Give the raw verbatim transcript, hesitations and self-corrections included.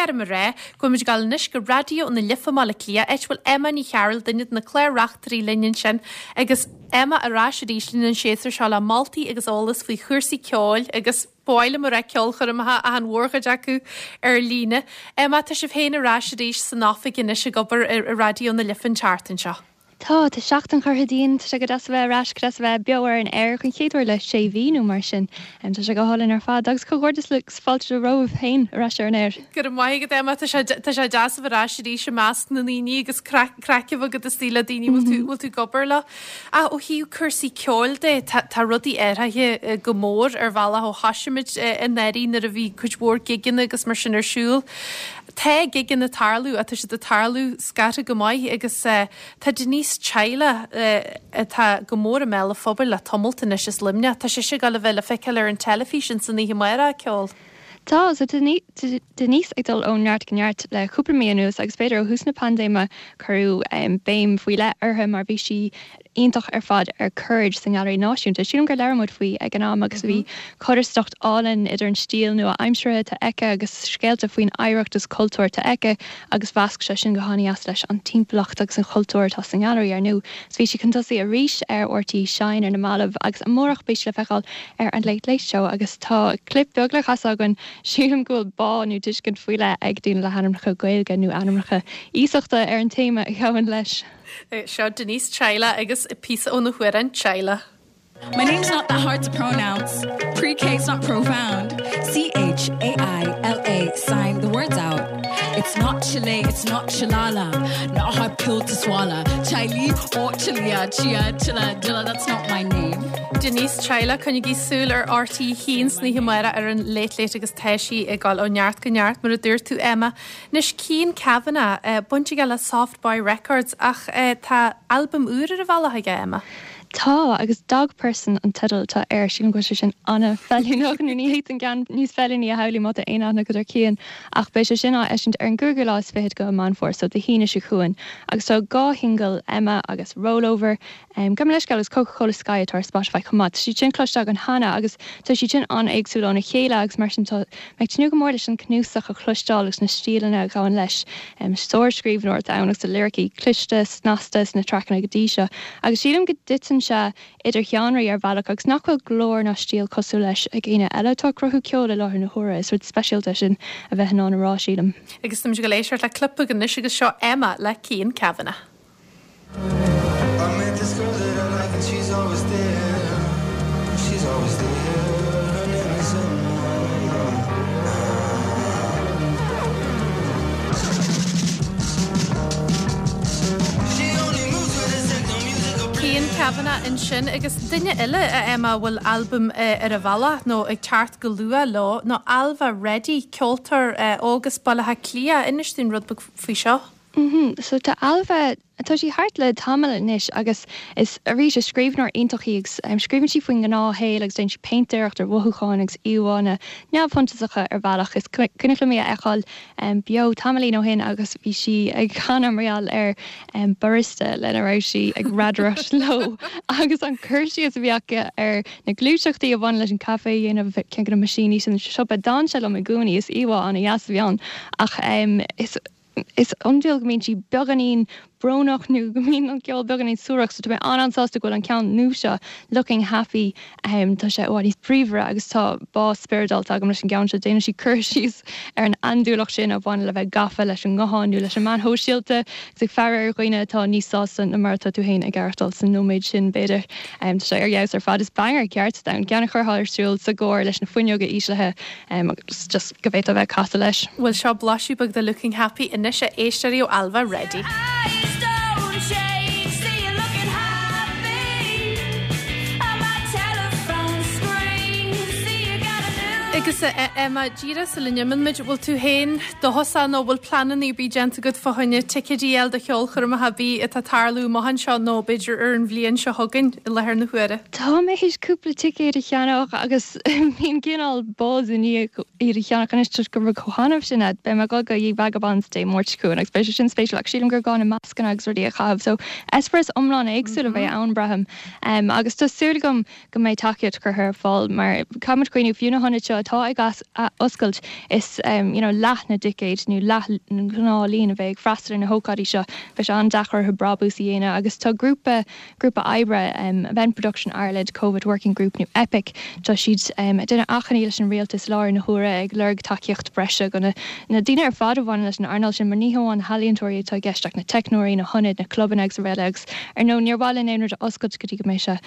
orm a rá go bhfuil muid ag dul anois go Raidió na Life i mBaile Átha Cliath, áit a bhfuil Emma Ní Chearúil, duine de na clár-reachtairí linn ansin, agus Emma ar ais arís linn an séasúr seo le moltaí agus eolas faoi chúrsaí ceoil agus ba mhaith liom a rá ceolchoirmeacha ach an mhórchuid acu ar líne. Emma, tá sibh féin ar ais arís san oifig anois ag obair i Raidió na Life an tseachtain seo. Tá tá seachtain curtha dínn, tá sé go deas a bheith ar ais, go deas a bheith beo ar an aer chun chéad uair le sé mhí nó mar sin. Tá sé go hálainn ar fad agus comhghairdeas leat fáilte romhat féin ar ais ar an aer. Go raibh maith agat Emma, tá sé tá sé deas a bheith ar ais arís i measc na ndaoine agus craic agat istigh le daoine bhfuil tú bhfuil tú ag obair leo. Ach ó thaobh cúrsaí ceoil de tá tá rudaí athraithe go mór ar bhealach ó thosaigh muid anuraidh nuair a bhí cuid mhór gigeanna agus mar sin ar siúl. Tá gigeanna ag tarlú atá siad ag tarlú scartha go maith agus tá Denise Chaila atá go mór i mbéal an phobail le tamalt anois as Luimneach. Tá sise ag dul a bheith le feiceáil ar an teilifís san oíche amárach ceol. Tá so Denise ag dul ó neart go neart le cúpla mí anuas agus b'fhéidir ó thús na paindéime cuireadh um, béim faoi leith uirthi mar bhí sí iontach ar fad ar Courage sa nGailearaí Náisiúnta. Sílim gur labhair muid faoi ag an am agus bhí codarsnacht álainn idir an stíl nua-aimseartha atá aici agus scéalta faoin oidhreacht is cultúr atá aici agus mheasc sé sin go han-deas leis an timpeallacht agus an chultúr atá san nGailearaí ar ndóigh. So bhí sí chun tosaigh arís ar RTÉ Shine ar na mallaibh agus amárach beidh sí le feiceáil ar an Late Late Show agus tá clip beag le casadh againn sílim go bhfuil bá nó tuiscint faoi leith ag daoine le hainmneacha Gaeilge nó ainmneacha iasachta ar an téama a ghabhann leis. Seo Denise Chaila agus píosa óna hamhrán Chaila. My name's not that hard to pronounce. Pre-K's not profound. C H A I L A, sign the words out. It's not Chile, it's not Chilala. Not a hard pill to swallow. Chili or Chilia, Chia, Chilla, Dilla, that's not my name. Denise Chaila coinnígí súil ar RTÉ a haon san oíche amárach ar an Late Late agus tá sí ag dul ó neart go neart mar a dúirt tú Emma. Anois Cian Kavanagh baint aige le Soft Boy Records ach tá albam úr ar a bhealach aige Emma. Tá agus Dog Person an teideal atá air sílim go sé sin an-fheiliúnach nó ní an ceann níos feiliúnaí a shamhlú má tá aon aithne agat ar Cian ach beidh sé sin á eisiúint ar an gcúigiú lá is fiche de Mheán Fómhair so Dé hAoine seo chugainn agus tá dhá shingil Emma agus Rollover um, Gabh mo leithscéal agus Coca-Cola Sky atá ar Spotify chomh maith. Tá siad sin cloiste againn cheana agus tá siad sin an-éagsúil óna chéile agus mar sin tá mé ag tnúth go mór leis an cnuasach a chloisteáil agus na stíleanna a ghabhann leis um, sár-scríbhneoir ann agus a liricí cliste snasta sna traiceanna go dtí seo. Agus sílim go dtiteann sé idir sheánraí ar bhealach agus nach bhfuil glór ná stíl cosúil leis ag éinne eile atá ag cruthú ceol i láthair na huaire is rud speisialta sin a bheith in ann a rá sílim. Agus táimid ag éisteacht le clip anois agus seo Emma le Cian Kavanagh. I met this girl that I like and she's always there. She's always there. Her name is Emma. She only moves with a techno musical Cian Kavanagh ansin agus duine eile a Emma bhfuil albam ar a bhealach nó ag teacht go luath leo ná Ailbhe Reddy ceoltóir óg as Baile Átha Cliath inis dúinn rud beag faoi seo. Mm -hmm. So tá Ailbhe tá sí thart le tamall anois agus is arís is scríbhneoir iontach í agus um, scríobhann sí faoin ngnáthshaol agus déanann sí péintéireacht ar mhothúcháin agus íomhánna neamhshuntasacha ar bhealach is cuimhin liom í a fheiceáil um, beo tamaillín ó shin agus bhí sí ag canadh mar gheall ar um, barista lena raibh sí ag radaireacht leo agus an cur síos a bhí aici ar na gluaiseachtaí a bhain leis an caife a dhéanamh ceann de na meaisíní sin siopa d'fhan sé liom i gcónaí is íomhá an-deas a bhí ann ach um, is is iondúil go mbíonn sí beagáinín brónach nó go mbíonn an ceol beagáinín suarach, so tá mé an-an-sásta go bhfuil an ceann nua seo looking happy um, tá sé bhfad níos bríomhaire agus tá bá spioradálta agam leis an gceann seo déanann sí cur síos ar an andúileacht sin a bhaineann le bheith gafa leis an nguthán nó leis an meáin shóisialta agus ag faire ar dhaoine atá níos sásta ná mar atá tú féin ag aireachtáil san nóiméad sin b'fhéidir um, tá sé ar fheabhas ar fad is banger ceart ann ceann a chuirfeá ar siúl sa gcarr leis na fuinneoga íslithe um, agus just go bhféadfá bheith ag casadh leis. Bhuel seo blaiseadh beag de Looking Happy anois a éisteoirí ó Ailbhe Reddy. Eyes don't change, see you looking happy on my telephone screen. See you got a new Agus Emma díreach sula n-imíonn muid bhfuil tú féin dóchasach nó bhfuil pleananna ar bith déanta agat fá choinne ticéidí a fháil do cheolchoirmeacha ar bith atá ag tarlú amach anseo nó b'fhéidir ar an bhliain seo chugainn i láthair na huaire. Tá mé théis cúpla ticéad a cheannach agus bíonn cineál buzz i ndiaidh iad a cheannach anois toisc gur rud chomh hannamh sin iad. Beidh mé ag dul go The Vagabonds Dé Máirt seo chugainn agus beidh sé sin spéisiúil ach sílim gur gá na mascanna agus rudaí a chaitheamh, so eispéireas iomlán éagsúil a bheidh ann braithim. Um, agus tá súil agam go mbeidh tacaíocht curtha ar fáil mar caithfimid cuimhneamh fiú na hionaid seo atá atá ag oscailt is um, you know, leath na dticéid nó leath an gnáthlíon a bheidh ag freastal ar na hócáidí seo beidh sé an-deacair orthu brabús a dhéanamh agus tá grúpa grúpa oibre um, Event Production Ireland COVID Working Group nó EPIC tá siad um, déanamh achainí leis an rialtas láthair na huaire ag lorg tacaíocht breise go na, na daoine ar fad a bhaineann leis an earnáil sin mar ní hamháin na healaíontóirí atá i gceist ach na teicneoirí na hionaid na clubanna agus araile agus ar nó níor mhaith linn aon rud a oscailt go dtí go mbeidh sé